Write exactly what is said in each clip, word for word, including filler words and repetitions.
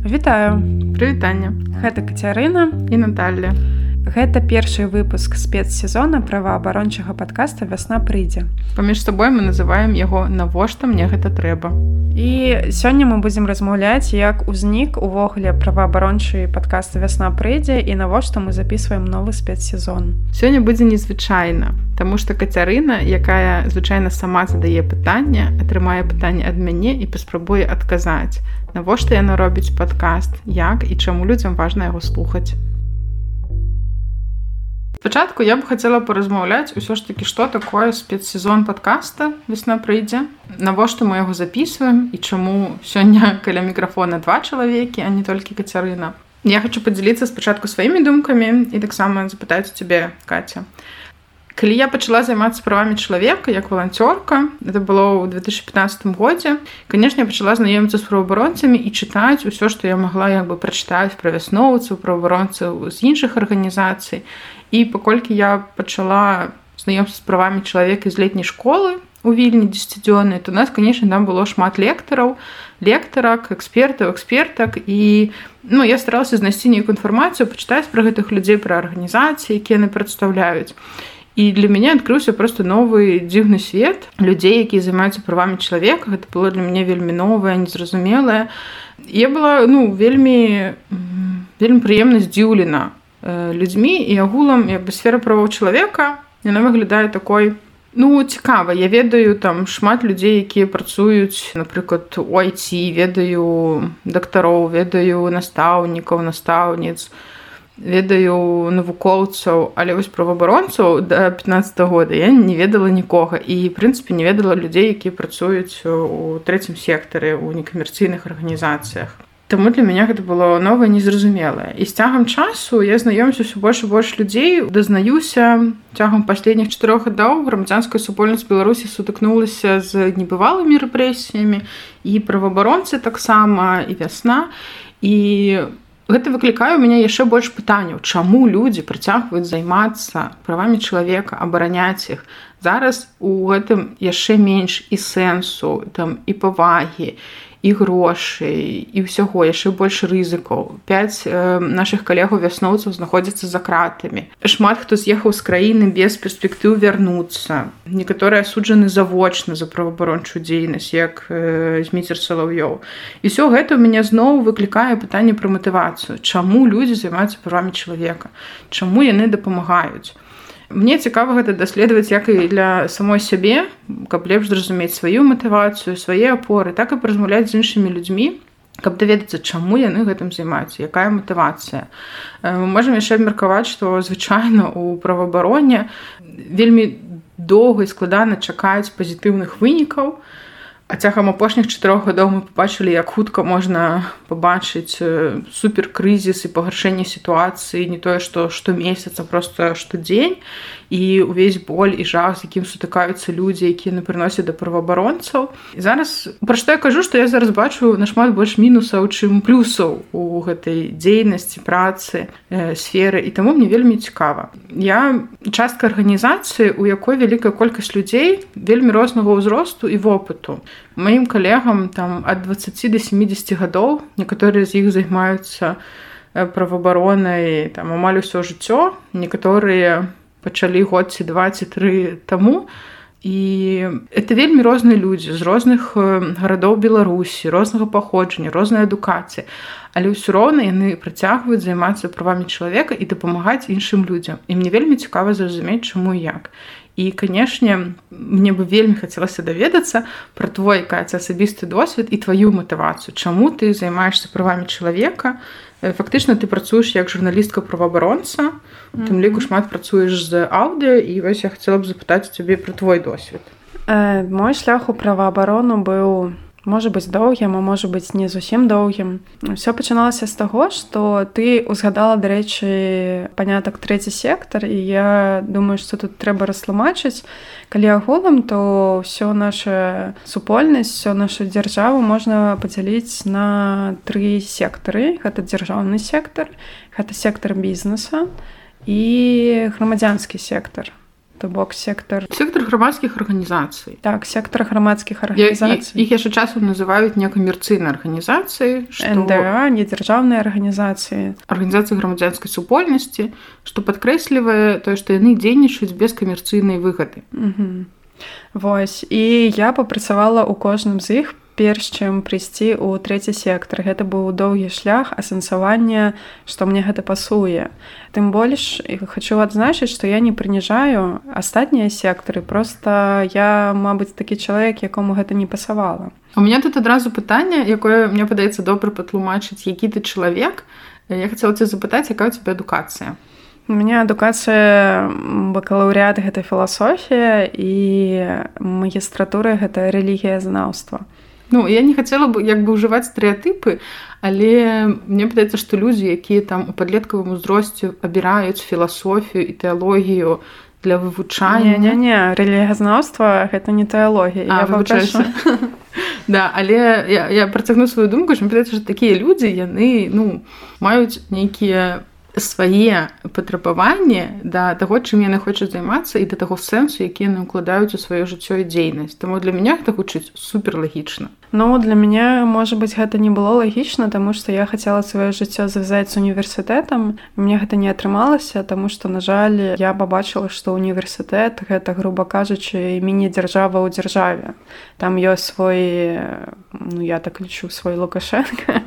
Вітаю. Прывітанне. Гэта Кацярына і Наталля. Гэта першы выпуск спецсезона праваабарончага падкаста «Вясна прыйдзе». Паміж сабой мы называем яго «Навошта мне гэта трэба?». І сёння мы будзем размаўляць, як узнік увогуле праваабарончы падкаст «Вясна прыйдзе» і навошта мы запісваем новы спецсезон. Сёння будзе незвычайна, таму што Кацярына, якая звычайна сама задае пытанне, атрымае пытанне ад мяне і паспрабуе адказаць, навошта яна робіць падкаст, як і чаму людзям важна яго слухаць. Спачатку я б хацела паразмаўляць усё ж такі, што такое спецсезон падкаста «Вясна прыйдзе», навошта мы яго запісваем і чаму сёння каля мікрафона два чалавекі, а не толькі Кацярына. Я хачу падзяліцца спачатку сваімі думкамі і таксама запытаць у цябе, Каця. Калі я пачала займацца правамі чалавека як валанцёрка, это было ў две тысячы пятнаццатым годзе, канешне, я пачала знаёміцца з праваабаронцамі і чытаць усё, што я магла як бы прачытаць пра вясноўцаў, праваабаронцаў з іншых арганізацый. І паколькі я пачала знаёмцца з правамі чалавека з летняй школы у Вільні дзесяцідзённай, то у нас, канешне, там было шмат лектараў, лектарак, экспертаў, экспертак. І ну, я старалася знайсці нейкую інфармацыю, пачытаць пра гэтых людзей, пра арганізацыі, якія яны прадстаўляюць. І для мяне адкрыўся просто новы дзіўны свет людзей, якія займаюцца правамі чалавека. Гэта было для мяне вельмі новае, незразумелае. Я была ну, вельмі, вельмі прыемна здзіўлена людзьмі і агулам як бы сфера правоў чалавека, яна выглядае такой, ну, цікава. Я ведаю там шмат людзей, якія працуюць, напрыклад, у ай ти, ведаю дактароў, ведаю настаўнікаў, настаўніц, ведаю навукоўцаў, але вось праваабаронцаў да пятнаццатага года я не ведала нікога і, в прынцыпе, не ведала людзей, якія працуюць у трэцім сектары, у некамерцыйных арганізацыях. Таму для мяне гэта было новае, незразумелае. І з цягам часу я знаёмлюся ўсё больш і больш людзей, дазнаюся цягам паследніх чатырох гадоў грамадзянская супольнасць Беларусі сутыкнулася з небывалымі рэпрэсіямі, і праваабаронцы таксама, і вясна. І гэта выклікае ў мяне яшчэ больш пытанняў, чаму людзі працягваюць займацца правамі чалавека, абараняць іх. Зараз у гэтым яшчэ менш і сэнсу, там, і павагі, і грошай, і ўсяго, яшчэ больш рызыкаў. Пяць э, нашых калегаў-вясноўцаў знаходзяцца за кратамі. Шмат хто з'ехаў з краіны без перспектыў вярнуцца. Некаторыя асуджаны завочна за праваабарончую дзейнасць, як э, Зміцер Салаўёў. І ўсё гэта ў мяне зноў выклікае пытанне пра матывацыю. Чаму людзі займаюцца правамі чалавека? Чаму яны дапамагаюць? Мне цікава гэта даследаваць як і для самой сябе, каб лепш зразумець сваю матывацыю, свае апоры, так і паразмаўляць з іншымі людзьмі, каб даведацца, чаму яны гэтым займаюцца, якая матывацыя. Мы можам яшчэ абмеркаваць, што звычайна у праваабароне вельмі доўга і складана чакаць пазітыўных вынікаў, а цягам апошніх чатырох гадоў мы пабачылі, як хутка можна пабачыць суперкрызіс і пагаршэнне сітуацыі, не тое, што штомесяц, а проста штодзень, і ўвесь боль і жах, з якім сутыкаюцца людзі, якія не прыносяць да праваабаронцаў. І зараз, пра што я кажу, што я зараз бачу нашмат больш мінусаў, чым плюсаў у гэтай дзейнасці, працы, э, сферы, і таму мне вельмі цікава. Я частка арганізацыі, у якой вялікая колькасць людзей вельмі рознага ўзросту і вопыту. Маім калегам там ад дваццаці да сямідзесяці гадоў, некаторыя з іх займаюцца праваабаронай там амаль усё жыццё, некаторыя пачалі год ці два ці тры таму. І это вельмі розныя людзі з розных гарадоў Беларусі, рознага паходжання, рознай адукацыі. Але ўсё роўна яны працягваюць займацца правамі чалавека і дапамагаць іншым людзям. І мне вельмі цікава зразумець, чаму і як. І, канешне, мне бы вельмі хацелася даведацца пра твой, Каця, асабісты досвед і тваю матывацыю. Чаму ты займаешься правамі чалавека? Фактычна ты працуеш як журналістка-праваабаронца, у тым ліку шмат працуеш з аўдыо, і вось я хацела б запытаць у цябе пра твой досвед. Э, мой шлях у праваабарону быў, можа быць, доўгім, а можа быць, не зусім доўгім. Усё пачыналася з таго, што ты узгадала, дарэчы, панятак трэці сектар, і я думаю, што тут трэба растлумачыць. Калі агулам, то ўсё наша супольнасць, ўсё нашу дзяржаву можна падзяліць на тры сектары. Гэта дзяржаўны сектар, гэта сектар бізнеса і грамадзянскі сектар. то бок сектар сектар грамадскіх арганізацый. Так, сектар грамадскіх арганізацый. Іх яшчэ часам называюць некамерцыйнай арганізацыі, што эн дэ а, недзяржаўныя арганізацыі, арганізацыі грамадзянскай супольнасці, што падкрэслівае тое, што яны дзейнічаюць без камерцыйнай выгады. Угу. Вось, і я папрацавала ў кожным з іх перш чым прыйсці ў трэці сектар. Гэта быў доўгі шлях асэнсавання, што мне гэта пасуе. Тым больш хачу адзначыць, што я не прыніжаю астатнія сектары, проста я, мабыць, такі чалавек, якому гэта не пасавала. У меня тут адразу пытанне, якое мне падаецца добра патлумачыць, які ты чалавек. Я хацела цябе запытаць, якая ў цябе адукацыя? У меня адукацыя бакалаўрыят гэта філасофія і магістратура гэта рэлігіязнаўства. Ну, я не хацела бы як бы ўжываць стэрэатыпы, але мне падаецца, што людзі, якія там у падлеткавым узросце абіраюць філасофію і тэалогію для вывучання. Не-не-не, рэлігіязнаўства гэта не тэалогія. А, вывучаюся. Да, але я, я працягну сваю думку, што мне падаецца, што такія людзі, яны, ну, маюць нейкія свае патрабаванні да таго, чым яны хочуць займацца і да таго сэнсу, які яны ўкладаюць у сваё жыццё і дзейнасць. Таму для мяне гэта гучыць суперлагічна. Ну, для мяне, можа быць, гэта не было лагічна, таму што я хацела сваё жыццё звязаць з універсітэтам. Мне гэта не атрымалася, таму што, на жаль, я пабачыла, што універсітэт гэта, груба кажучы, міні-дзяржава ў дзяржаве. Там ёсць свой, ну, я так лічу, свой Лукашенка,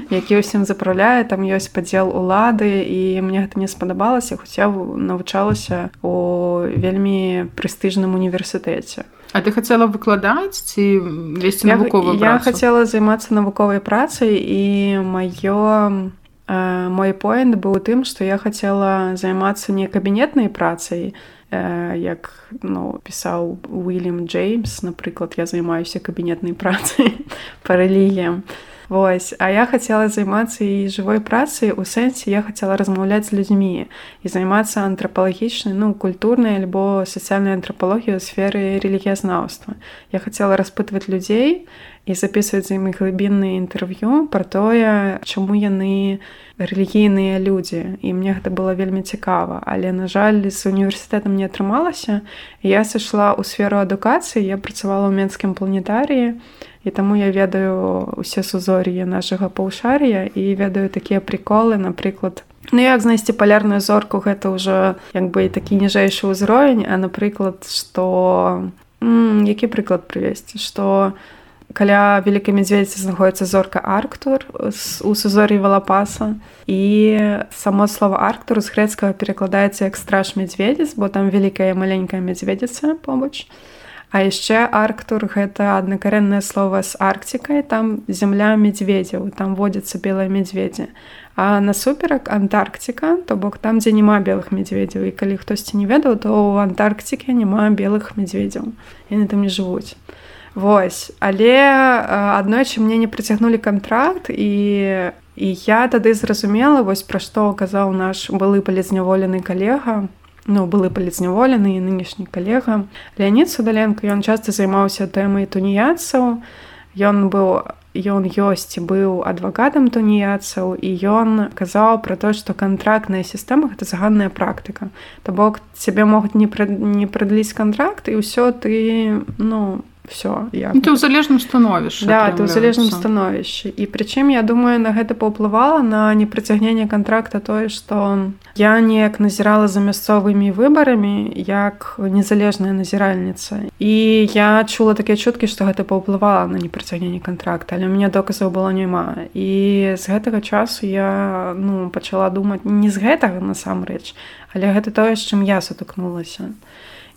які ўсім запраўляе, там ёсць падзел улады, і мне гэта не спадабалася, хоць я навучалася ў вельмі прэстыжным універсітэце. А ты хацела выкладаць ці весці навуковую я, працу? Я хацела займацца навуковай працай, і маё, э, мой поінт быў у тым, што я хацела займацца не кабінетнай працай, э, як, ну, пісаў Уильям Джеймс, напрыклад, я займаюся кабінетнай працай па рэлігіям. Вось, а я хацела займацца і жывой працай, у сэнсе я хацела размаўляць з людзьмі і займацца антрапалагічнай, ну, культурнай альбо сацыяльнай антрапалогіяй у сферы рэлігіязнаўства. Я хацела распытваць людзей і запісваць з імі глыбінныя інтэрв'ю пра тое, чаму яны рэлігійныя людзі. І мне гэта было вельмі цікава. Але, на жаль, з універсітэтам не атрымалася. Я сышла ў сферу адукацыі, я працавала ў Менскім планетарыі, і таму я ведаю ўсе сузор'і нашага паўшар'я і ведаю такія приколы, напрыклад, ну як знайсці палярную зорку, гэта ўжо як бы такі ніжэйшы ўзровень, а напрыклад, што м, які прыклад прывесці, што каля Вялікай Мядзведзіцы знаходіцца зорка Арктур у сузор'і Валапаса, і само слова Арктур з грэцкага перакладаецца як страж мядзведзіц, бо там вялікая і маленькая мядзведзіца побач. А яшчэ Арктур – гэта аднакарэннае слова з Арктикай, там зямля мядзведзяў, там водзяцца белыя мядзведзі. А насуперак Антарктика, то бок там, дзе няма белых мядзведзяў. І калі хтосьці не ведаў, то ў Антарктике няма белых мядзведзяў. Яны там не жывуць. Вось. Але аднойчы мне не прыцягнулі кантракт, і, і я тады зразумела, вось пра што казаў наш былы палізняволены калега, ну, былы палізняволены і нынешні калега. Леонід Судаленко, ён часта займаўся тэмай туніяцаў. Ён быў, ён ёсць і быў адвакатам туніяцаў, і ён казаў пра то, што кантрактная сістэма – гэта заганная практыка. То бок, цябе могуць не, прад, не прадліць кантракт, і ўсё ты, ну, все. Ну, ты ў залежным становішчы. Да, ты ў залежным становішчы. І прычым, я думаю, на гэта паўплывала на непрыцягненне кантракта тое, што я неяк назірала за мясцовымі выбарамі як незалежная назіральніца. І я чула такія чуткі, што гэта паўплывала на непрыцягненне кантракта, але ў мяне доказаў было няма. І з гэтага часу я, ну, пачала думаць, не з гэтага насамрэч, але гэта тое, з чым я сутыкнулася.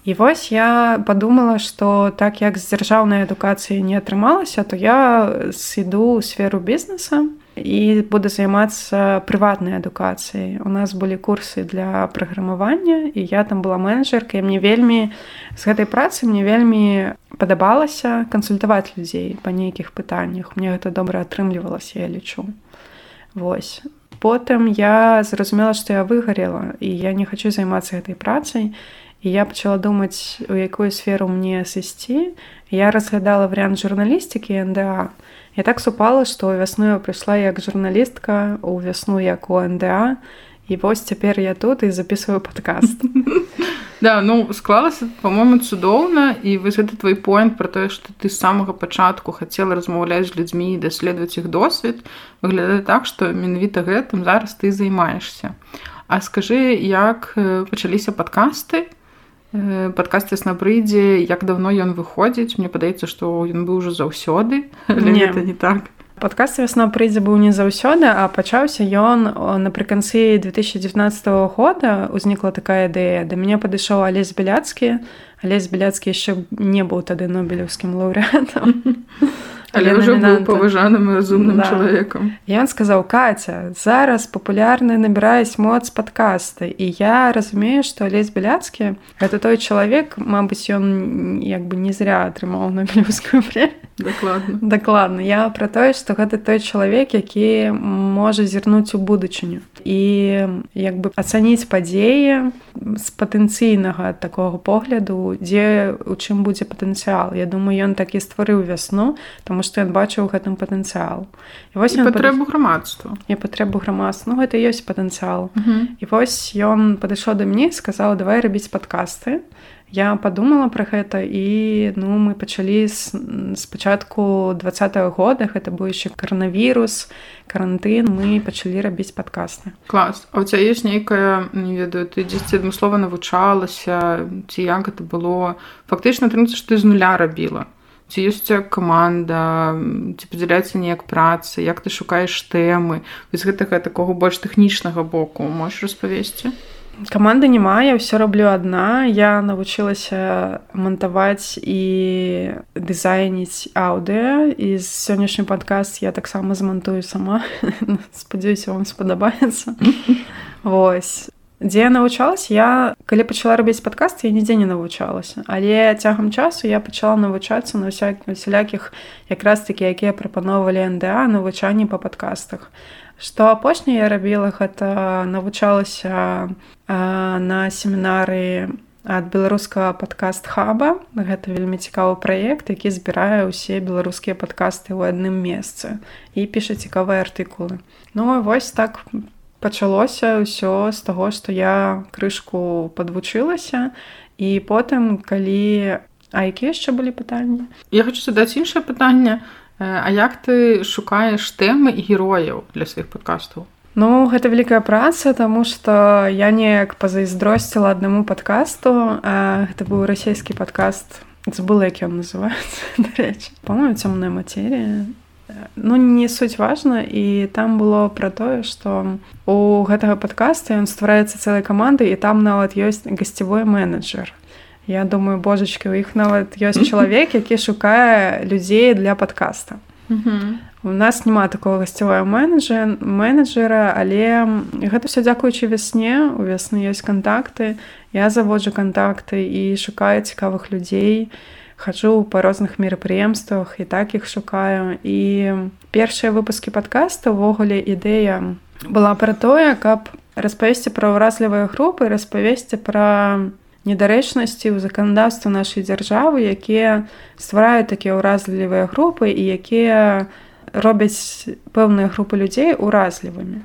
І вось я падумала, што так як з дзяржаўнай адукацыяй не атрымалася, то я сыду ў сферу бізнеса і буду займацца прыватнай адукацыяй. У нас былі курсы для праграмавання, і я там была менеджеркай. Мне вельмі, з гэтай працы мне вельмі падабалася кансультаваць людзей па нейкіх пытаннях. Мне гэта добра атрымлівалася, я лічу. Вось. Потым я зразумела, што я выгарела, і я не хачу займацца гэтай працай. І я пачала думаць, у якую сферу мне сысці. Я разглядала варыянт журналістыкі і эн дэ а. Я так супала, што вясну я прыйшла як журналістка, у вясну як у эн дэ а. І вось цяпер я тут і запісваю падкаст. Да, ну склалася, по-моему, цудоўна, і вось гэта твой поінт пра тое, што ты з самага пачатку хацела размаўляць з людзьмі і даследаваць іх досвед, выглядае так, што менавіта гэтым зараз ты займаешся. А скажы, як пачаліся падкасты? Падкаст «Ясна прыйдзе», як давно ён выходзіць? Мне падаецца, што ён быў ужо заўсёды, але не. Гэта не так. Падкаст «Вясна прыйдзе» быў не заўсёды, а пачаўся ён напрыканцы две тысячи девятнадцатого года. Узнікла такая ідэя. Да мяне падышоў Алесь Беляцкі. Алесь Беляцкі яшчэ не быў тады нобелеўскім лаўрэатам. Але ўжо быў паважаным і разумным да. чалавекам. І ён сказаў: «Каця, зараз папулярны набіраюць моц падкасты». І я разумею, што Алесь Беляцкі — гэта той чалавек, мабыць, ён як бы не зря атрымаў нобелеўскую прэмію. Дакладна. Дакладна. Я пра тое, што гэта той чалавек, які можа зірнуць у будучыню і як бы ацаніць падзеі з патэнцыйнага такога погляду, дзе у чым будзе патэнцыял. Я думаю, ён так і стварыў «Вясну», таму што ён бачыў у гэтым патэнцыял. І, і патрэбу пад... грамадства. І патрэбу грамадства. Ну, гэта ёсць патэнцыял. Uh-huh. І вось ён падышоў да мяне і сказаў: «Давай рабіць падкасты». Я падумала пра гэта, і ну, мы пачалі з, з пачатку двадцатого года, гэта быў яшчэ каранавірус, карантын, мы пачалі рабіць падкасты. Клас. А ў цябе ёсць нейкая, не ведаю, ты дзесьці адмыслова навучалася, ці як гэта было? Фактычна атрымаецца, што ты з нуля рабіла. Ці ёсць у цябе каманда, ці падзяляецца неяк праца, як ты шукаеш тэмы? Вось гэтага такога больш тэхнічнага боку можаш распавесці? Каманды няма, я ўсё раблю адна. Я навучылася мантаваць і дызайніць аўдыо, і сённяшні падкаст я таксама змантую сама. Спадзяюся, вам спадабаецца. Вось. Дзе я навучалася? Я, калі пачала рабіць падкасты, я нідзе не навучалася. Але цягам часу я пачала навучацца на усялякіх, якраз такі, якія прапаноўвалі эн дэ а, навучанні па падкастах. Што апошняе я рабіла, гэта навучалася а, на семінары ад беларускага падкаст-хаба. Гэта вельмі цікавы праект, які збірае ўсе беларускія падкасты ў адным месцы і піша цікавыя артыкулы. Ну, вось так пачалося ўсё з таго, што я крышку падвучылася, і потым, калі... А якія яшчэ былі пытанні? Я хочу задаць іншае пытанне. А як ты шукаеш тэмы і герояў для сваіх падкастаў? Ну, гэта вялікая праца, таму што я неяк пазайздросціла аднаму падкасту. Гэта быў расійскі падкаст. Забыла, як ён называецца, дарэчы. Па-моему, «Цёмная матэрія». Ну, не суть важна, і там было пра тое, што у гэтага падкаста ён ствараецца цэлай камандай, і там нават ёсць гасцевой менеджер. Я думаю, божачкі, у іх нават ёсць чалавек, які шукае людзей для падкаста. Uh-huh. У нас няма такого гасцевого менеджера, менеджера, але гэта ўсё дзякуючы «Вясне». У «Вясны» ёсць кантакты. Я заводжу кантакты і шукаю цікавых людзей. Хаджу па розных мерапрыемствах і так іх шукаю. І першыя выпускі падкаста, увогуле, ідэя была пра тое, каб распавесці пра ўразлівыя групы, распавесці пра недарэчнасці ў заканадаўстве нашай дзяржавы, якія ствараюць такія ўразлівыя групы і якія робяць пэўныя групы людзей уразлівымі.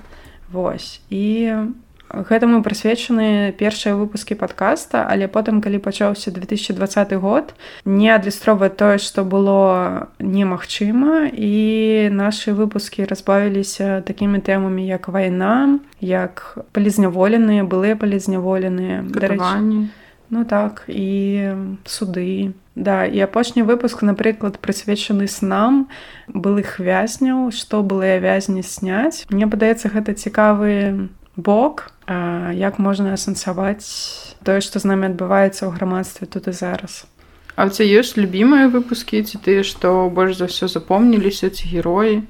Вось. І гэтаму прысвечаны першыя выпускі падкаста, але потым, калі пачаўся две тысячи двадцаты год, не адлюстроўвае тое, што было немагчыма, і нашы выпускі разбавіліся такімі тэмамі, як вайна, як палізняволеныя, былыя палізняволеныя, катаванні. Ну так, і суды. Да, і апошні выпуск, напрыклад, прысвечаны снам былых вязняў, што былыя вязні сняць. Мне падаецца, гэта цікавы бок, як можна асэнсаваць тое, што з намі адбываецца ў грамадстве тут і зараз. А ў цябе ёсць любімыя выпускі, ці тыя, што больш за ўсё запомніліся, ці героі?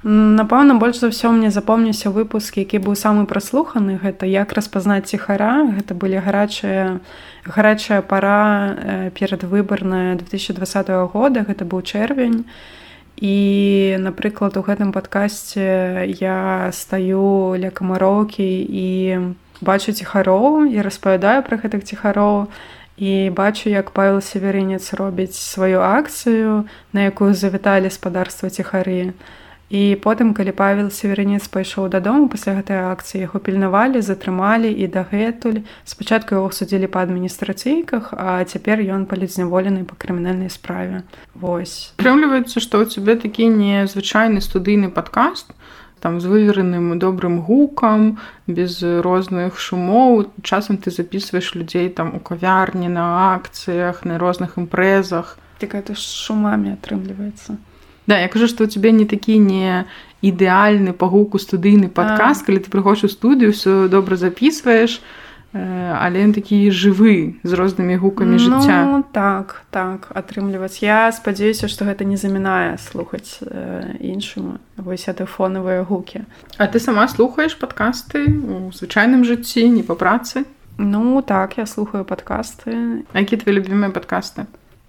Напэўна, больш за ўсё мне запомніўся выпуск, які быў самы праслуханы. Гэта «Як распазнаць ціхара». Гэта былі гарачая, гарачая пара перадвыбарная две тысячи двадцатого года. Гэта быў чэрвень. І, напрыклад, у гэтым падкасце я стаю ля камароўкі і бачу ціхароў і распавядаю пра гэтых ціхароў. І бачу, як Павел Северынец робіць сваю акцыю, на якую завіталі спадарства ціхары. І потым, калі Павел Северінец пайшоў дадому пасля гэтай акцыі, яго пільнавалі, затрымалі і дагэтуль. Спачатку яго судзілі па адміністрацыйках, а цяпер ён палітзняволены па крымінальнай справе. Вось. Атрымліваецца, што ў цябе такі незвычайны студыйны падкаст, там з вывераным добрым гукам, без розных шумоў. Часам ты записываеш людзей там у кавярні, на акцыях, на розных імпрэзах. Так это ж шумамі атрымліваецца. Да, я кажу, што ў цябе не такі не ідэальны па гуку студыйны падкаст, калі ты прыходзіш у студыю, ўсё добра записываеш, але ён такі жывы, з рознымі гукамі жыцця. Ну, так, так, атрымліваць. Я спадзяюся, што гэта не замінае слухаць іншым вось гэты фонавыя гукі. А ты сама слухаеш падкасты ў звычайным жыцці, не па працы? Ну, так, я слухаю падкасты. А якія твои любімыя падкасты?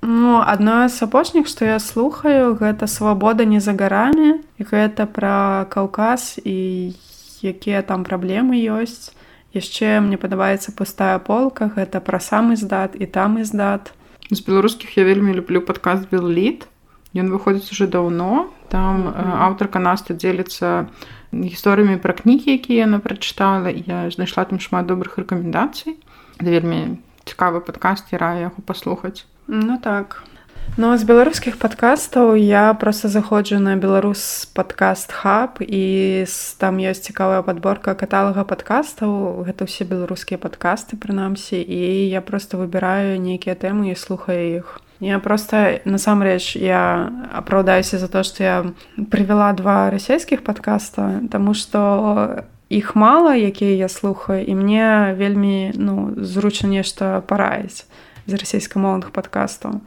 Ну, адно з апошніх, што я слухаю, гэта «Свабода не за гарамі». Гэта пра Каўказ і якія там праблемы ёсць. Яшчэ мне падабаецца «Пустая полка», гэта пра сам издат і там издат. З беларускіх я вельмі люблю падкаст «Белліт». Ён выходзіць уже даўно. Там mm-hmm. аўтарка Наста дзеліцца гісторыямі пра кнігі, якія яна прачытала. Я знайшла там шмат добрых рэкамендацый. Гэта вельмі цікавы падкаст, я раю яго паслухаць. Ну так. Ну, з беларускіх падкастаў я проста заходжу на Беларус падкаст хаб, і там ёсць цікавая падборка каталага падкастаў. Гэта ўсе беларускія падкасты, прынамсі, і я проста выбіраю нейкія тэмы і слухаю іх. Я проста, насамрэч, я апраўдаюся за то, што я прывяла два расійскіх падкаста, таму што іх мала, якія я слухаю, і мне вельмі, ну, зручна нешта параіць з расійскамоўных падкастаў.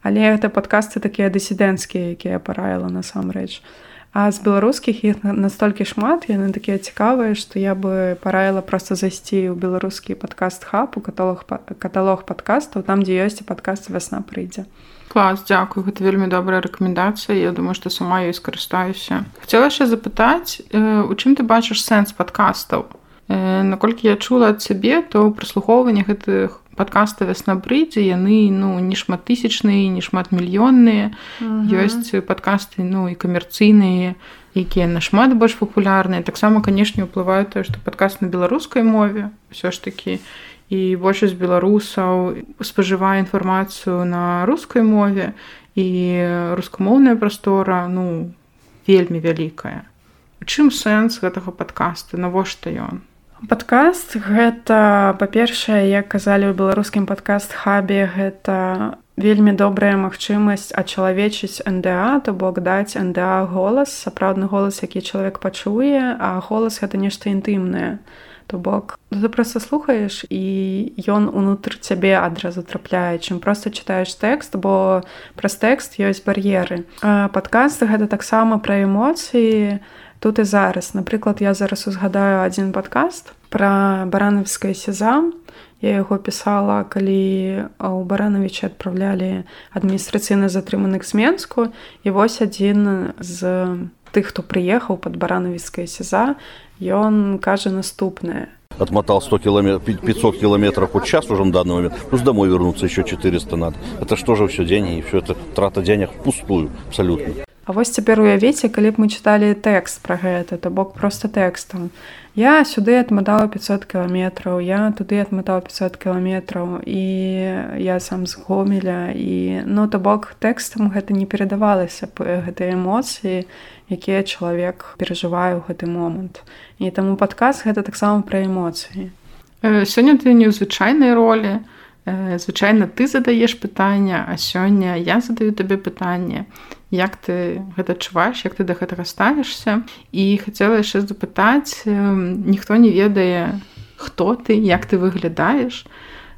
Але гэта падкасты такія дысідэнцкія, якія я параіла насамрэч. А з беларускіх іх настолькі шмат, яны такія цікавыя, што я бы параіла проста зайсці ў беларускі падкаст хаб, у каталог, каталог падкастаў, там, дзе ёсць падкаст «Вясна прыйдзе». Клас, дзякую, гэта вельмі добрая рэкамендацыя. Я думаю, што сама ёй скарыстаюся. Хацела яшчэ запытаць, у чым ты бачыш сэнс падкастаў? Наколькі я чула ад цябе, то прыслухоўванне гэтых падкаста «Вясна прыйдзе», яны, ну, не шматтысячныя, не шматмільённыя. Uh-huh. Ёсць падкасты, ну, і камерцыйныя, якія нашмат больш папулярныя. Таксама, канешне, ўплывае тое, што падкаст на беларускай мове ўсё ж такі, і большасць беларусаў спажывае інфармацыю на рускай мове, і рускамоўная прастора, ну, вельмі вялікая. У чым сэнс гэтага падкаста? Навошта ён? Падкаст гэта, па-першае, як казалі ў беларускім падкаст-хабе, гэта вельмі добрая магчымасць ачалавечыць эн дэ а, то бок даць эн дэ а голас, сапраўдны голас, які чалавек пачуе, а голас гэта нешта інтымнае. То бок ты проста слухаеш, і ён унутр цябе адразу трапляе, чым проста чытаеш тэкст, бо праз тэкст ёсць бар'еры. Падкаст гэта таксама пра эмоцыі, тут і зараз. Напрыклад, я зараз узгадаю адзін падкаст пра баранавіцкае сезам. Я яго пісала, калі ў Баранавіча адпраўлялі адміністрацыйна затрыманых з Менску. І вось адзін з тых, хто прыехаў пад баранавіцкае сеза, ён кажа наступнае. Отмотал сто километров, пятьсот километров в час уже на данный момент, плюс домой вернуться еще четыреста надо. Это что же все деньги, и все это трата денег впустую абсолютно. А вось цяпер уявіце, калі б мы чыталі тэкст пра гэта, то бок проста тэкстам. Я сюды адматала пятьсот кіламетраў, я туды адматала пятьсот кіламетраў, і я сам з Гомеля, і, ну, то бок тэкстам гэта не перадавалася б гэтыя эмоцыі, якія чалавек перажывае ў гэты момант. І таму падкаст гэта таксама пра эмоцыі. Сёння ты не ў звычайнай ролі. Звычайна ты задаеш пытанне, а сёння я задаю табе пытанне. Як ты гэта адчуваеш, як ты да гэтага ставішся? І хацела яшчэ запытаць, ніхто не ведае, хто ты, як ты выглядаеш,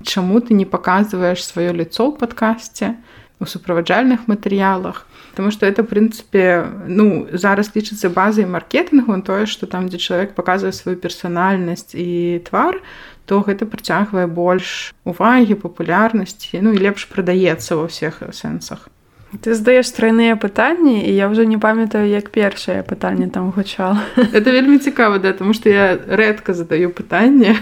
чаму ты не паказваеш сваё лицо ў падкасце, у суправаджальных матэрыялах. Таму што это, в прынцыпе, ну, зараз лічыцца базай маркетынгу, тое, што там, дзе чалавек паказвае сваю персанальнасць і твар, то гэта прыцягвае больш увагі, папулярнасці, ну і лепш прадаецца ва ўсіх сэнсах. Ты задаеш тройныя пытанні, і я ўжо не памятаю, як першае пытанне там гучала. Это вельмі цікава, да, тому што я рэдка задаю пытанне.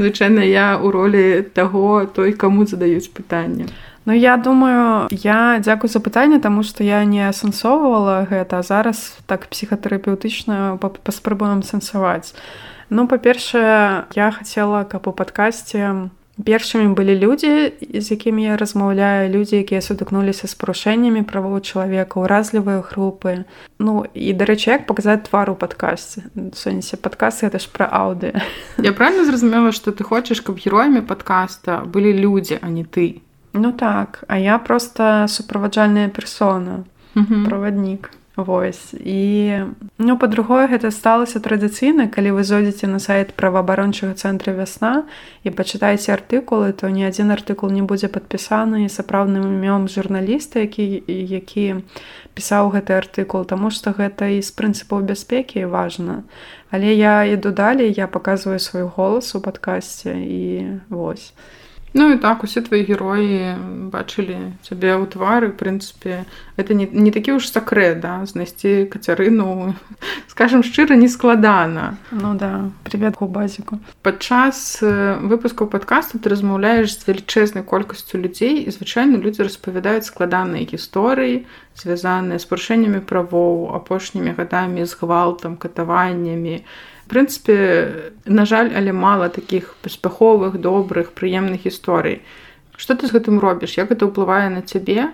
Звычайна я ў ролі таго, той, каму задаюць пытанне. Ну, я думаю, я дзякую за пытанне, таму што я не асэнсоўвала гэта, а зараз так псіхатэрапеўтычна паспрабуем сэнсаваць. Ну, па-першае, я хацела, каб у падкасце першымі былі людзі, з якімі я размаўляю, людзі, якія сутыкнуліся з парушэннямі правоў чалавека, уразлівыя групы. Ну, і, дарэчы, як паказаць твар у падкасце? В сэнсе, падкаст — гэта ж пра аўдыё. Я правильно зразумела, што ты хочаш, каб героямі падкаста былі людзі, а не ты? Ну так, а я проста суправаджальная персона, Мгм. праваднік. Вось. І, ну, па-другое, гэта сталася традыцыйна, калі вы зойдзеце на сайт праваабарончага цэнтра «Вясна» і пачытаеце артыкулы, то ні адзін артыкул не будзе падпісаны сапраўдным імём журналіста, які, які пісаў гэты артыкул, таму што гэта і з прынцыпаў бяспекі важна. Але я іду далей, я паказваю свой голас у падкасце і вось. Ну і так, усе твои героі бачылі цябе ў твары, в прынцыпе, это не, не такі ўж сакрэт, да? Знайсці Кацярыну, скажем шчыра, не складана. Ну да, привет Губазіку. Падчас выпускаў падкасту ты размаўляеш з велічэзнай колькасцю людзей, і звычайна людзі распавядаюць складаныя гісторыі, звязаныя з парушэннямі правоў, апошнімі гадамі з гвалтам, катаваннямі. В прынцыпе, на жаль, але мала такіх паспяховых, добрых, прыемных гісторый. Што ты з гэтым робіш? Як гэта ўплывае на цябе?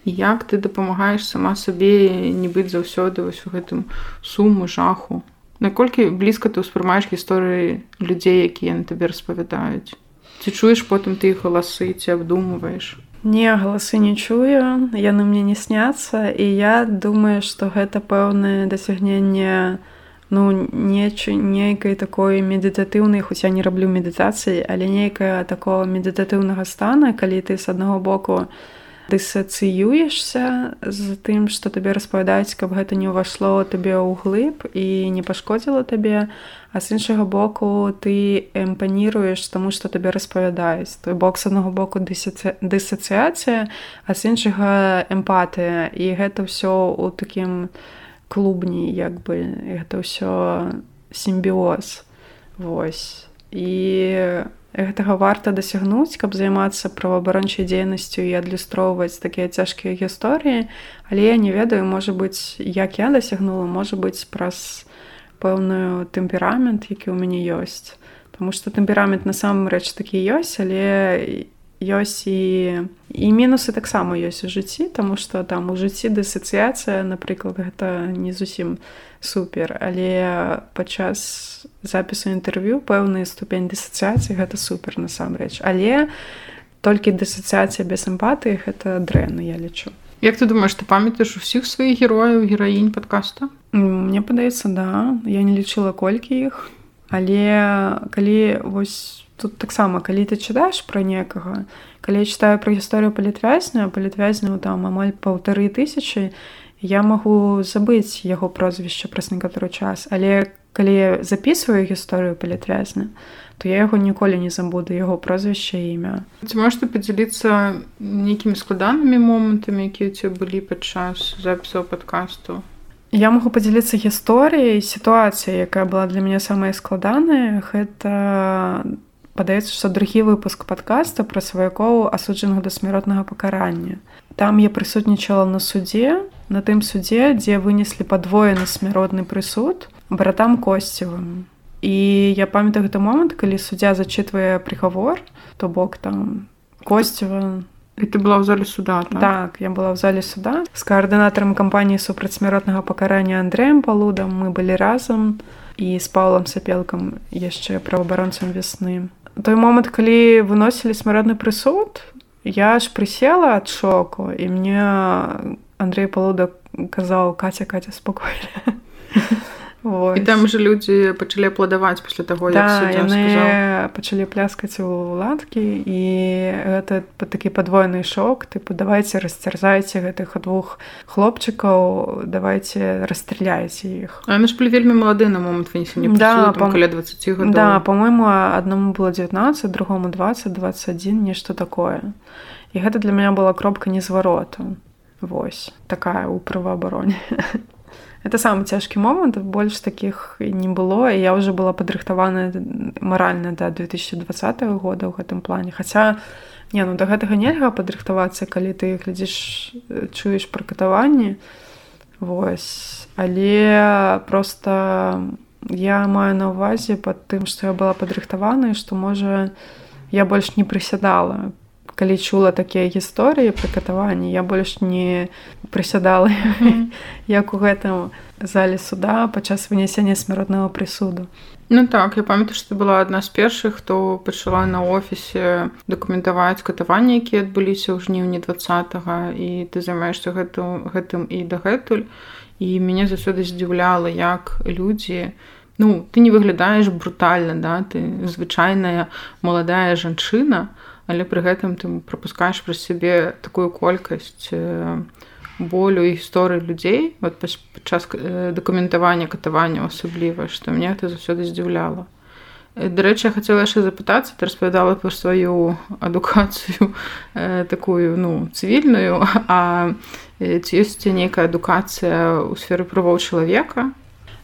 І як ты дапамагаеш сама сабе не быць заўсёды вось у гэтым суму, жаху? Наколькі блізка ты ўспрымаеш гісторыі людзей, якія на табе распавядаюць? Ці чуеш потым ты іх галасы, ці абдумваеш? Не, галасы не чую, яны мне не сняцца, і я думаю, што гэта пэўнае дасягненне, ну, нейкай такой медытатыўнай, хоць я не раблю медытацыі, але нейкая такого медытатыўнага стана, калі ты з аднаго боку дысацыюешся з тым, што табе распавядаюць, каб гэта не ўвайшло табе ўглыб і не пашкодзіла табе, а з іншага боку ты эмпаніруеш таму, што табе распавядаюць. Той бок, з аднаго боку дысацыяцыя, а з іншага эмпатыя. І гэта ўсё ў такім клубні, як бы, гэта ўсё сімбіоз. Вось. І гэтага варта дасягнуць, каб займацца праваабарончай дзейнасцю і адлюстроўваць такія цяжкія гісторыі, але я не ведаю, можа быць, як я дасягнула, можа быць, праз пэўную тэмперамент, які ў мяне ёсць. Таму што тэмперамент насамрэч такі ёсць, але ёсць і, і мінусы таксама ёсць у жыцці, таму што там у жыцці дысацыяцыя, напрыклад, гэта не зусім супер, але падчас запісу інтэрв'ю пэўны ступень дысацыяцыі гэта супер насамрэч. Але толькі дысацыяцыя без эмпатыі гэта дрэнна, я лічу. Як ты думаеш, ты памятаеш усіх сваіх герояў, гераінь падкаста? Мне падаецца, да. Я не лічыла колькі іх, але калі вось тут таксама, калі ты чытаеш пра некага, калі я чытаю пра гісторыю палітвязня, палітвязняў там амаль паўтары тысячы, я магу забыць яго прозвішча праз некаторы час, але калі я запісваю гісторыю палітвязня, то я яго ніколі не забуду, яго прозвішча і імя. Ці можаш ты падзяліцца нейкімі складанымі момантамі, якія ў цябе былі падчас запісаў падкасту? Я магу падзяліцца гісторыяй, сітуацыяй, якая была для мяне самая складаная. Гэта, падаецца, што другі выпуск падкаста пра сваякоў, асуджаных да смяротнага пакарання. Там я прысутнічала на судзе, на тым судзе, дзе вынеслі падвоены смяротны прысуд братам Косцевым. І я памятаю гэты момант, калі суддзя зачытвае прыгавор, то бок там Косцева. І ты была ў зале суда, так? Так, я была ў зале суда. З каардынатарам кампаніі супраць смяротнага пакарання Андрэем Палудам мы былі разам, і з Паўлам Сапелкам, яшчэ праваабаронцам «Вясны». Той момант, калі выносілі смяротны прысуд, я аж прысела ад шоку, і мне Андрэй Палуда казаў: «Каця, Каця, спакойна». І там же людзі пачалі апладаваць пасля таго, як суддзя сказаў. Да, яны пачалі пляскаць у ладкі, і гэта такі падвойны шок. Тыпу, давайце расцярзайце гэтых двух хлопчыкаў, давайце расстраляйце іх. А яны ж былі вельмі малады на момант вынесення прысуду, да, там каля дваццаці гадоў. Да, па-мойму, аднаму было дзевятнаццаць, другому дваццаць, дваццаць адзін, нешта такое. І гэта для мяне была кропка незвароту. Вось, такая ў праваабароне. Это самы цяжкі момант, больш такіх не было, і я ўжо была падрыхтаваная маральна да две тысячи двадцатого года ў гэтым плане. Хаця, не, ну да гэтага нельга падрыхтавацца, калі ты глядзіш, чуеш пра катаванні. Вось. Але проста я маю на ўвазе пад тым, што я была падрыхтавана, і што, можа, я больш не прысядала. Калі чула такія гісторыі пра катаванні, я больш не прысядала, mm-hmm. як у гэтым зале суда падчас вынясення смяротнага прысуду. Ну так, я памятаю, што была адна з першых, хто пачала на офісе дакументаваць катаванні, якія адбыліся ў жніўні двадцатага, і ты займаешся гэтым, гэтым і дагэтуль. І мяне заўсёды здзіўляла, як людзі, ну, ты не выглядаеш брутальна, да? Ты звычайная маладая жанчына, але пры гэтым ты прапускаеш праз сябе такую колькасць болю і гісторыі людзей вот падчас дакументавання катаванняў асабліва, што мне гэта заўсёды здзіўляла. Дарэчы, я хацела яшчэ запытацца, ты распавядала пра сваю адукацыю такую, ну, цывільную, а ці ёсць нейкая адукацыя ў сферы правоў чалавека?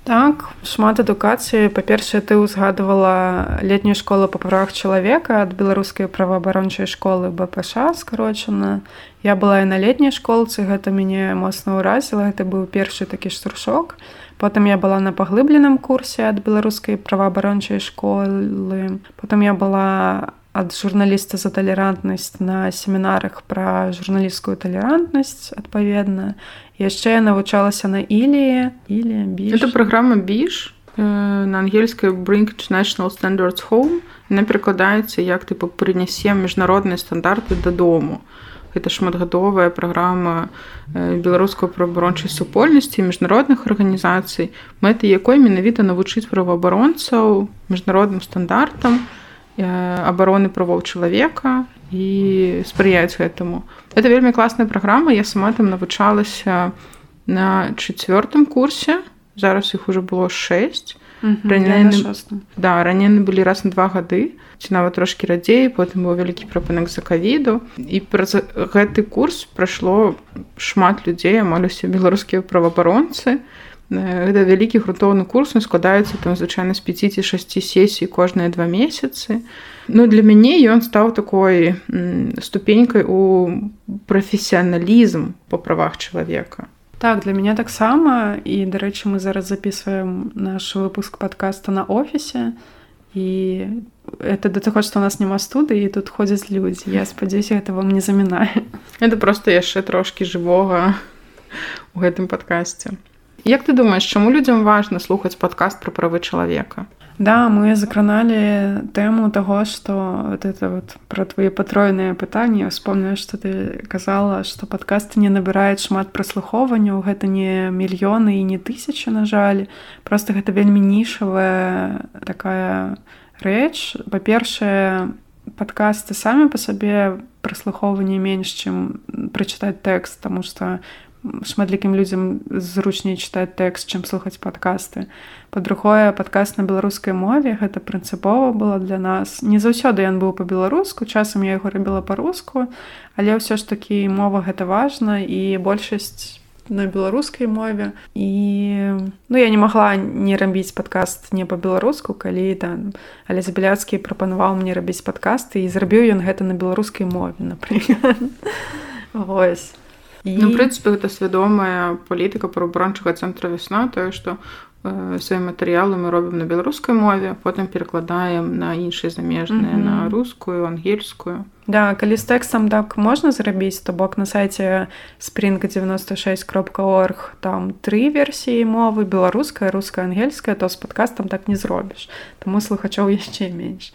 Так, шмат адукацыі. Па-першае, ты ўзгадывала летнюю школу па правах чалавека ад беларускай праваабарончай школы бэ пэ ша, скарочана. Я была і на летняй школцы, гэта мяне моцна ўразіла, гэта быў першы такі штуршок. Потым я была на паглыбленым курсе ад беларускай праваабарончай школы. Потым я была ад журналіста за талерантнасць на семінарах пра журналісцкую талерантнасць, адпаведна. Яшчэ я навучалася на Ілі, Ілі, Біш. Это праграма Біш, на ангельскай Bring International Standards Home. Яна перакладаецца як типу прынясем міжнародныя стандарты дадому. Гэта шматгадовая праграма беларускай праваабарончай супольнасці і міжнародных арганізацый, мэтай якой менавіта навучыць праваабаронцаў міжнародным стандартам абароны правоў чалавека і спрыяць гэтаму. Это вельмі класная праграма, я сама там навучалася на чацвёртым курсе, зараз іх ужо было шэсць. Mm-hmm, раней, да, раней былі раз на два гады, ці нават трошкі радзей, потым быў вялікі прапынак за ковіду. І праз гэты курс прайшло шмат людзей, амаль усе беларускія праваабаронцы. Гэта вялікі грунтоўны курс, он складаецца там звычайна з пяці ці шасці сесій кожныя два месяцы. Ну, для мяне ён стаў такой ступенькай у прафесіяналізм па правах чалавека. Так, для мяне таксама. І, дарэчы, мы зараз записываем наш выпуск падкаста на офісе. І это да таго, што ў нас няма студыі, і тут ходзяць людзі. Я спадзяюся, гэта вам не замінае. Это проста яшчэ трошкі жывога ў гэтым падкасце. Як ты думаеш, чаму людзям важна слухаць падкаст пра правы чалавека? Да, мы закраналі тэму таго, што вот это вот пра твае патроеныя пытанні. Я вспомнила, што ты казала, што падкасты не набіраюць шмат праслухоўванняў, гэта не мільёны і не тысячы, на жаль. Проста гэта вельмі нішавая такая рэч. Па-першае, падкасты самі па сабе праслухоўванні менш, чым прачытаць тэкст, таму што шматлікім людзям зручней чытаць тэкст, чым слухаць падкасты. Па-другое, падкаст на беларускай мове, гэта прынцыпова было для нас. Не заўсёды ён быў па-беларуску, часам я яго рабіла па-руску, але ўсё ж такі мова гэта важна, і большасць на беларускай мове. І ну, я не магла не рабіць падкаст не па-беларуску, калі там Алесь Беляцкі прапанаваў мне рабіць падкасты, і зрабіў ён гэта на беларускай мове, напрыклад. Вось. І... Ну, в прынцыпе, гэта свядомая палітыка праваабарончага цэнтра «Вясна», тое, што э, свае матэрыялы мы робім на беларускай мове, потым перакладаем на іншыя замежныя, mm-hmm. на рускую, ангельскую. Да, калі з тэкстам так можна зрабіць, то бок на сайце спринг девяносто шесть крапка орг там тры версіі мовы, беларуская, руская, ангельская, то з падкастам так не зробіш. Таму слухачоў яшчэ менш.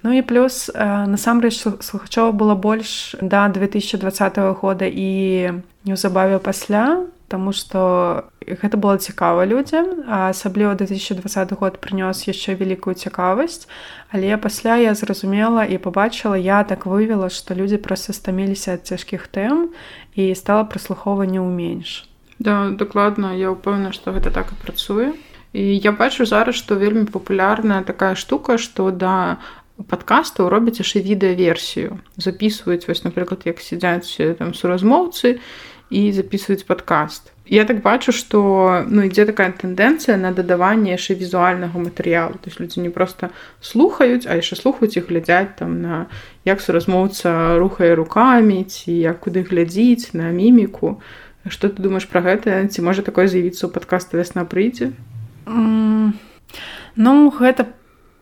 Ну і плюс, насамрэч, слухачоў было больш да две тысячи двадцатого года і неўзабаве пасля, таму што гэта было цікава людзям, а асабліва две тысячи двадцаты год прынёс яшчэ вялікую цікавасць, але пасля я зразумела і пабачыла, я так вывела, што людзі проста стаміліся ад цяжкіх тэм і стала праслухоўванняў менш. Да, дакладна, я ўпэўнена, што гэта так і працуе. І я бачу зараз, што вельмі папулярная такая штука, што да падкастаў робяць яшчэ відэаверсію. Запісваюць, вось, напрыклад, як сядзяць там суразмоўцы і записваюць падкаст. Я так бачу, што ну, ідзе такая тэндэнцыя на дадаванне яшчэ візуальнага матэрыялу. То есть людзі не проста слухаюць, а яшчэ слухаюць і глядзяць там на як суразмоўца рухае рукамі, ці як куды глядзіць, на міміку. Што ты думаеш пра гэта? Ці можа такое з'явіцца ў падкаста «Вясна прыйдзе»? Mm, ну, гэта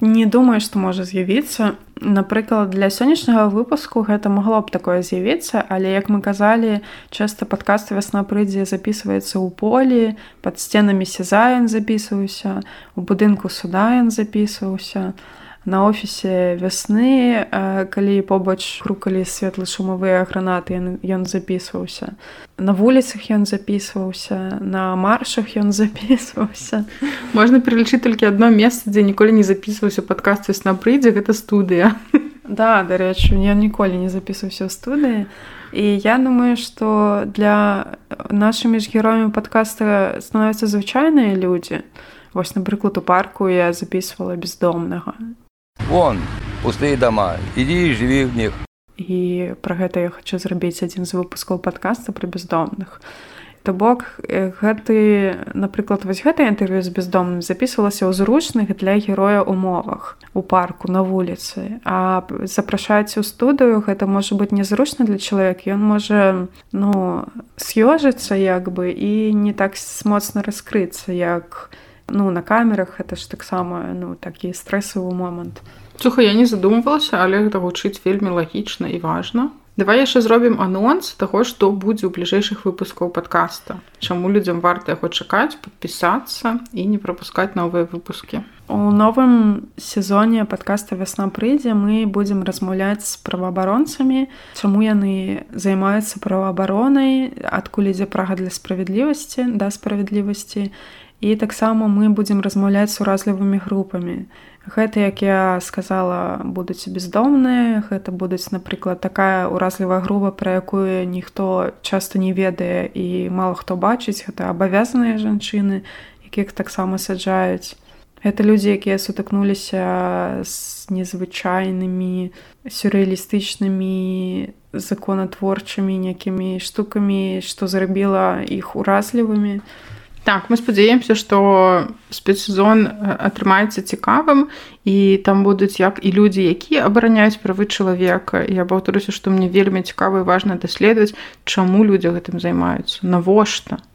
не думаю, што можа з'явіцца. Напрыклад, для сённяшняга выпуску гэта магло б такое з'явіцца, але, як мы казалі, часта падкаст «Вясна прыйдзе» запісваецца ў полі, пад сценамі сеза ён запісваўся, у будынку суда ён запісваўся, на офісе «Вясны», калі побач крукалі светла-шумавыя гранаты, ён, ён запісваўся. На вуліцах ён запісваўся, на маршах ён запісваўся. Можна пералічыць толькі адно месца, дзе ніколі не запісваўся падкаст «Вясна прыйдзе», гэта студыя. Да, дарэчы, я ніколі не запісваўся ў студыі. І я думаю, што для нашымі ж героямі падкаста становяцца звычайныя людзі. Вось, напрыклад, у парку я запісвала «Бездомнага». Вон, пустые дома, иди и живи в них. І пра гэта я хачу зрабіць адзін з выпускаў падкаста пра бяздомных. То бок, гэты, напрыклад, вось гэта інтэрв'ю з бяздомным запісвалася ў зручных для героя умовах, у парку, на вуліцы. А запрашаць у студыю, гэта можа быць незручна для чалавека. Ён можа, ну, з'ёжыцца, як бы, і не так моцна раскрыцца, як, ну, на камерах. Гэта ж таксама, ну, такі стрэсавы момант. Слухай, я не задумвалася, але гэта гучыць вельмі лагічна і важна. Давай яшчэ зробім анонс таго, што будзе ў бліжэйшых выпускаў падкаста. Чаму людзям варта яго чакаць, падпісацца і не прапускаць новыя выпускі. У новым сезоне падкаста «Вясна прыйдзе» мы будзем размаўляць з праваабаронцамі, чаму яны займаюцца праваабаронай, адкуль ідзе прага для справядлівасці, да справядлівасці. І таксама мы будзем размаўляць з уразлівымі групамі. Гэта, як я сказала, будуць бездомныя, гэта будуць, напрыклад, такая уразлівая група, пра якую ніхто часта не ведае і мала хто бачыць. Гэта абавязаныя жанчыны, якіх таксама саджаюць. Гэта людзі, якія сутыкнуліся з незвычайнымі, сюррэалістычнымі, законатворчымі некімі штукамі, што зрабіла іх уразлівымі. Так, мы спадзяемся, што спецсезон атрымаецца цікавым, і там будуць як і людзі, якія абараняюць правы чалавека. Я паўторюся, што мне вельмі цікава і важна даследаваць, чаму людзі гэтым займаюцца, навошта.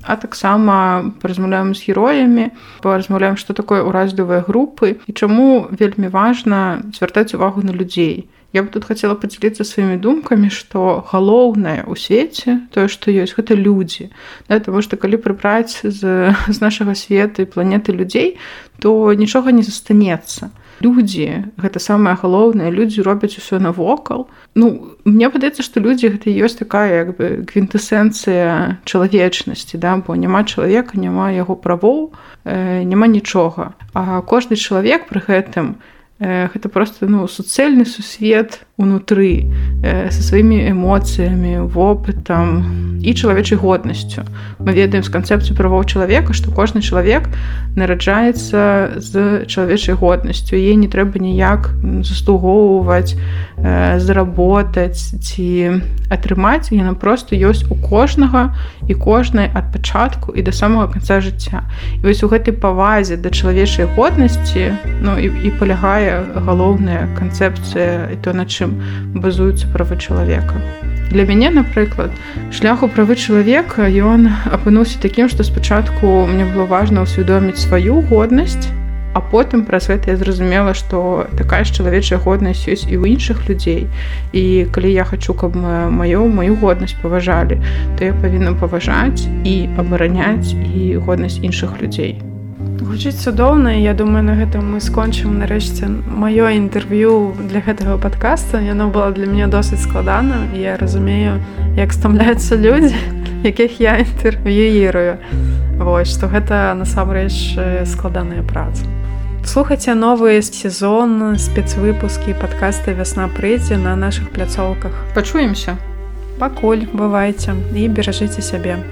А таксама паразмаўляем з героямі, паразмаўляем, што такое уразлівыя групы і чаму вельмі важна звяртаць увагу на людзей. Я бы тут хацела падзяліцца сваімі думкамі, што галоўнае ў свеце, тое, што ёсць, гэта людзі. Да, таму што калі прыбраць з, з нашага свету і планеты людзей, то нічога не застанецца. Людзі, гэта самае галоўнае, людзі робяць усё навокал. Ну, мне падаецца, што людзі гэта ёсць такая, як бы, квінтэсэнцыя чалавечнасці, да? Бо няма чалавека, няма яго правоў, э, няма нічога. А кожны чалавек пры гэтым гэта просто, ну, суцэльны сусвет унутры, э, са сваімі эмоцыямі, вопытам і чалавечай годнасцю. Мы ведаем з канцэпцыі правоў чалавека, што кожны чалавек нараджаецца з чалавечай годнасцю. Яе не трэба ніяк заслугоўваць, э, заработаць ці атрымаць. Яна проста ёсць у кожнага і кожнай ад пачатку і да самага канца жыцця. І вось у гэтай павазе да чалавечай годнасці, ну, і, і палягае галоўная канцэпцыя і то, на чым базуюцца правы чалавека. Для мяне, напрыклад, шлях у правы чалавека, ён апынуўся такім, што спачатку мне было важна ўсвядоміць сваю годнасць, а потым праз гэта я зразумела, што такая ж чалавечая годнасць ёсць і ў іншых людзей. І калі я хачу, каб маю, маю годнасць паважалі, то я павінна паважаць і абараняць і годнасць іншых людзей. Гучыць цудоўна, і я думаю, на гэтым мы скончым нарэшце маё інтэрв'ю для гэтага падкаста. Яно было для мяне досыць складана, і я разумею, як стамляюцца людзі, якіх я інтэрв'юірую. Вось, што гэта насамрэч складаная праца. Слухайце новы сезон, спецвыпускі падкаста «Вясна прыйдзе» на нашых пляцоўках. Пачуемся. Пакуль, бывайце і беражыце сябе.